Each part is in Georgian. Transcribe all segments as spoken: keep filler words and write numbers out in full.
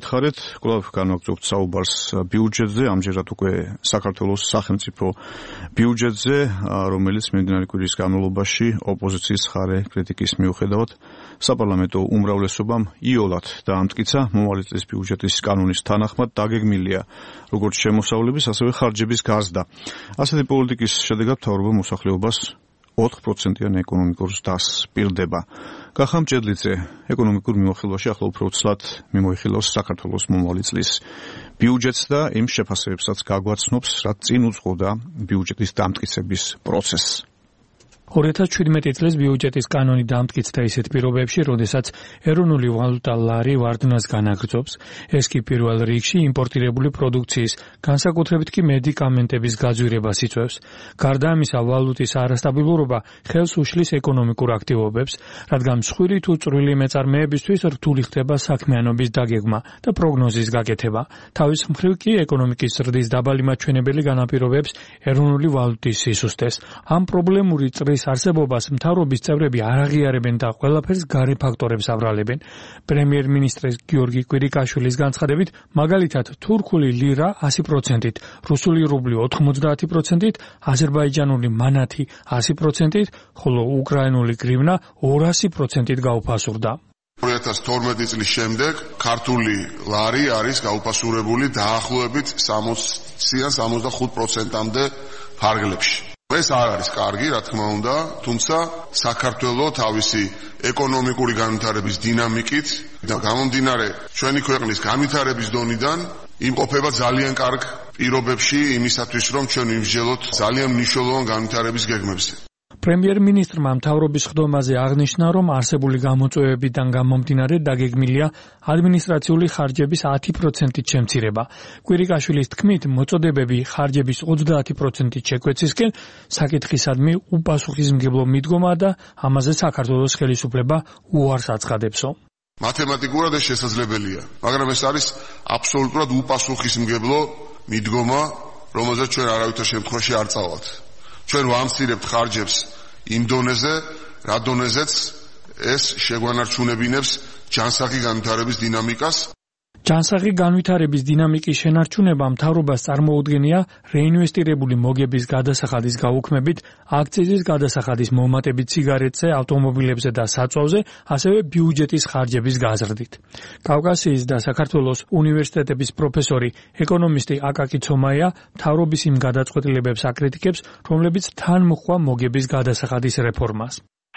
გითხარით, კვლავ განვაგრძობთ საუბარს ბიუჯეტზე, ამჯერად უკვე საქართველოს სახელმწიფო ბიუჯეტზე, რომელიც მიმდინარე კვირის განმავლობაში ოპოზიციის მხარე კრიტიკის მიუხედავად საპარლამენტო უმრავლესობამ იოლად დაამტკიცა. მომავალი წლის ბიუჯეტის კანონის თანახმად დაგეგმილია როგორც შემოსავლების, ასევე ხარჯების გაზრდა. ასეთი პოლიტიკის შედეგად მთავრობა მოსახლეობას ოთხ პროცენტიან ეკონომიკურ ზრდას პირდება. კახამ ჭედლიძე ეკონომიკურ მიმოხილვაში ახლა უფრო ცლად მიმოიხილავს საქართველოს მომავალი წლის ბიუჯეტს და იმ შეფასებებსაც გაგვაცნობს, რაც წინ უძღოდა ბიუჯეტის დამტკიცების პროცესს. ორი ათას ჩვიდმეტი წლის ბიუჯეტის კანონი დამტკიცდა ისეთ პირობებში, როდესაც ეროვნული ვალუტა ლარი ვარდნას განაგრძობს. ეს კი პირველ რიგში იმპორტირებული პროდუქციის, განსაკუთრებით კი მედიკამენტების გაძვირებას იწვევს. გარდა ამისა, ვალუტის არასტაბილურობა ხელს უშლის ეკონომიკურ აქტივობებს, რადგან მსხვილი თუ წვრილი მეწარმეებისთვის რთული ხდება საქმიანობის დაგეგმა და პროგნოზის გაკეთება. თავის მხრივ კი ეკონომიკის ზრდის დაბალი მაჩვენებელი განაპირობებს ეროვნული ვალუტის სისუსტეს. ამ პრობლემური წრის არსებობას მთავრობის წევრები არ აღიარებენ და ყველაფერს გარე ფაქტორებს აბრალებენ. პრემიერ-მინისტრის გიორგი კვირიკაშვილის განცხადებით, მაგალითად, თურქული ლირა ასი პროცენტით, რუსული რუბლი ოთხმოცდაათი პროცენტით, აზერბაიჯანული მანათი ასი პროცენტით, ხოლო უკრაინული გრივნა ორასი პროცენტით გაუფასურდა. ორი ათას თორმეტი წლის შემდეგ ქართული ლარი არის გაუფასურებული დაახლოებით სამოცდან სამოცდახუთ პროცენტამდე ფარგლებში. ეს არ არის კარგი, რა თქმა უნდა, თუმცა საქართველოს თავისი ეკონომიკური განვითარების დინამიკით და გამომდინარე ჩვენი ქვეყნის განვითარების დონიდან იმყოფება ძალიან კარგ პირობებში იმისათვის, რომ ჩვენ ვიმსჯელოთ ძალიან მნიშვნელოვან განვითარების გეგმებზე. პრემიერ-მინისტრმა მთავრობის ხდომაზე აღნიშნა, რომ არსებული გამოწვევებიდან გამომდინარე დაგეგმილია ადმინისტრაციული ხარჯების ათი პროცენტით შემცირება. კვირიკაშვილის თქმით, მოწოდებები ხარჯების ოცდაათი პროცენტით შეკვეცისკენ საკითხისადმი უპასუხისმგებლო მიდგომა და ამაზე საქართველოს ხელისუფლება უარს აცხადებსო. მათემატიკურად ეს შესაძლებელია, მაგრამ ეს არის აბსოლუტურად უპასუხისმგებლო მიდგომა, რომელზეც ჩვენ არავითარ შემთხვევაში არ წავალთ. ჩვენ ვამცირებთ ხარჯებს იმ დონეზე, რა დონეზეც ეს შეგვანარჩუნებინებს ჯანსაღი განვითარების დინამიკას. ჯანსაღი განვითარების დინამიკის შენარჩუნება მთავრობას წარმოუდგენია რეინვესტირებული მოგების გადასახადის გაუქმებით, აქციზის გადასახადის მომატებით ციგარეტზე, ავტომობილებზე და საწვავზე, ასევე ბიუჯეტის ხარჯების გაზრდით. კავკასიის და საქართველოს უნივერსიტეტების პროფესორი, ეკონომისტი აკაკი ცომაია მთავრობის იმ გადაწყვეტილებებს აკრიტიკებს, რომლებიც თან მოჰყვა მოგების გადასახადის რეფორმას.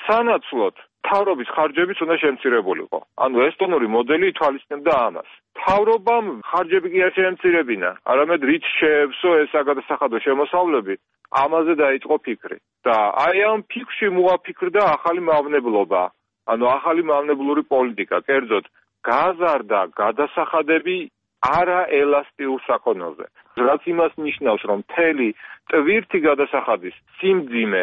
სანაცვლოდ მთავრობის ხარჯებიც უნდა შემცირებულიყო. ანუ ესტონური მოდელი ითვალისწინებდა ამას. მთავრობამ ხარჯები კი არ შეემცირებინა, არამედ რით შეეվსო ეს საგადასახადო შემოსავლები, ამაზე დაიწყო ფიქრი. და აი ამ ფიქრში მოაფიქრდა ახალი მავნებლობა, ანუ ახალი მავნებლური პოლიტიკა, კერძოდ გაზარდა გადასახადები არაელასტიურ საქონელზე. რაც იმას ნიშნავს, რომ მთელი ტვირთი გადასახადის სიმძიმე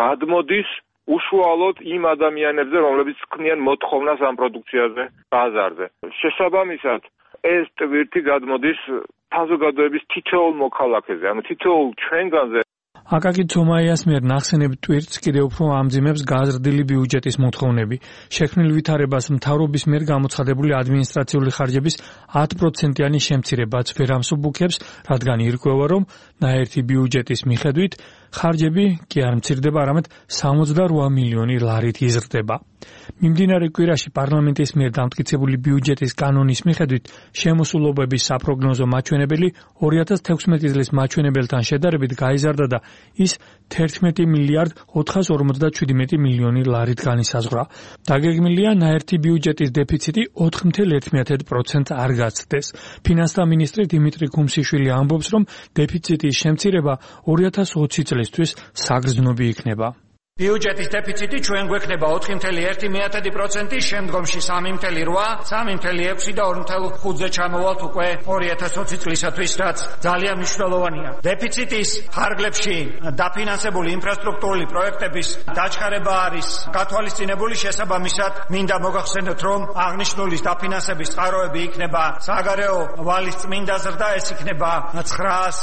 გადმოდის უშუალოდ იმ ადამიანებზე, რომლებიც ქმნიან მოთხოვნას ამ პროდუქციაზე, ბაზარზე. შესაბამისად, ეს ტვირთი გადმოდის საზოგადოების თითოეულ მოქალაქეზე, ანუ თითოეულ ჩვენგანზე. აკაკი ცომაიას მიერ ნახსენებ ტვირთს კიდევ უფრო ამძიმებს გაზრდილი ბიუჯეტის მოთხოვნები. შექმნილ ვითარებას მთავრობის მიერ გამოცხადებული ადმინისტრაციული ხარჯების ათი პროცენტიანი შემცირებაც ვერ ამსუბუქებს, რადგან ირკვევა, რომ ნაერთი ბიუჯეტის მიხედვით ხარჯები კი არ მცირდება, არამედ სამოცდარვა მილიონი ლარით იზრდება. მიმდინარე კვირაში პარლამენტის მიერ დამტკიცებული ბიუჯეტის კანონის მიხედვით შემოსულობების საპროგნოზო მაჩვენებელი ორი ათას თექვსმეტი წლის მაჩვენებელთან შედარებით გაიზარდა და ის თერთმეტი მილიარდ ოთხას ორმოცდაშვიდმეტი მილიონი ლარით განისაზღვრა. დაგეგმილია ნაერთი ბიუჯეტის დეფიციტი ოთხ კoma ერთი პროცენტს არ გაცდეს. ფინანსთა მინისტრი დიმიტრი ქუმსიშვილი ამბობს, რომ დეფიციტის შემცირება ორი ათას ოცი წლისთვის საგრძნობი იქნება. ბიუჯეტის დეფიციტი ჩვენ გვექნება ოთხი კoma ერთი პროცენტი, შემდგომში სამი კoma რვა, სამი კoma ექვსი და ორი კoma ხუთზე ჩამოვალთ უკვე ორი ათას ოცი წლისათვის, რაც ძალიან მნიშვნელოვანია. დეფიციტის ფარგლებში დაფინანსებული ინფრასტრუქტურული პროექტების დაჩქარება არის გათვალისწინებული, შესაბამისად მინდა მოგახსენოთ, რომ აღნიშნული დაფინანსების წყაროები იქნება საგარეო ვალის წმინდა ზრდა, ეს იქნება ცხრაას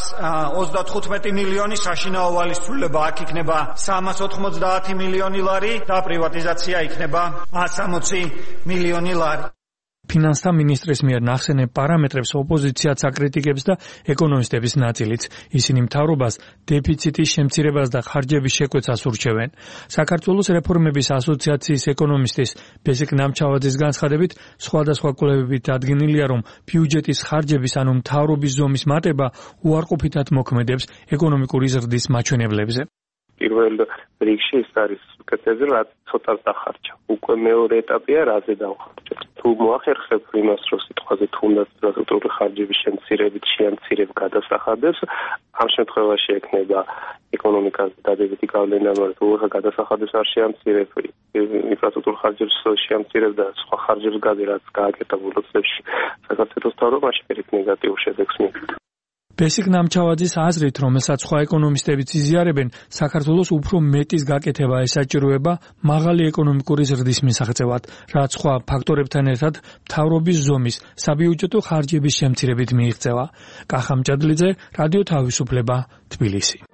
ოცდათხუთმეტი მილიონი, საშინაო ვალის ცვლილება აქ იქნება სამას ოთხმოცდაათი მილიონი ლარი და პრივატიზაცია იქნება სამოცი მილიონი ლარი. ფინანსთა მინისტრის მიერ ნახსენებ პარამეტრებს ოპოზიციაც აკრიტიკებს და ეკონომისტების ნაწილიც. ისინი მთავრობას დეფიციტის შემცირებას და ხარჯების შეკვეცას ურჩევენ. საქართველოს რეფორმების ასოციაციის ეკონომისტის ბესიკ ნამჩავაძის განცხადებით, სხვადასხვა კვლევებით დადგენილია, რომ ბიუჯეტის ხარჯების ანუ მთავრობის ზომის მატება უარყოფითად მოქმედებს ეკონომიკური ზრდის მაჩვენებლებზე. პირველ რიგში ის არის კეთილი, რაც ცოტას დახარჯა. უკვე მეორე ეტაპია, რაზე დავხარჯოთ. თუ მოახერხებ იმას, რომ სიტყვაზე თუნდაც სტრუქტურული ხარჯების შემცირებით შეამცირებ გადასახადებს, ამ შემთხვევაში ექნება ეკონომიკას დადებითი გავლენა, მაგრამ თუ გადასახადებს არ შეამცირებ, ინფრასტრუქტურულ ხარჯებს შეამცირებ და სხვა ხარჯებს გადი, რაც გააკეთა ბოლო წლებში, საქართველოს მთავრობაში პირიქით ნეგატიურ შედეგს მიიღება. ბესიკ ნამჩავაძის აზრით, რომელსაც სხვა ეკონომისტებიც იზიარებენ, საქართველოს უფრო მეტის გაკეთება ესაჭიროება მაღალი ეკონომიკური ზრდის მისაღწევად, რაც სხვა ფაქტორებთან ერთად მთავრობის ზომის საბიუჯეტო ხარჯების შემცირებით მიიღწევა. კახა მჭადლიძე, რადიო თავისუფლება, თბილისი.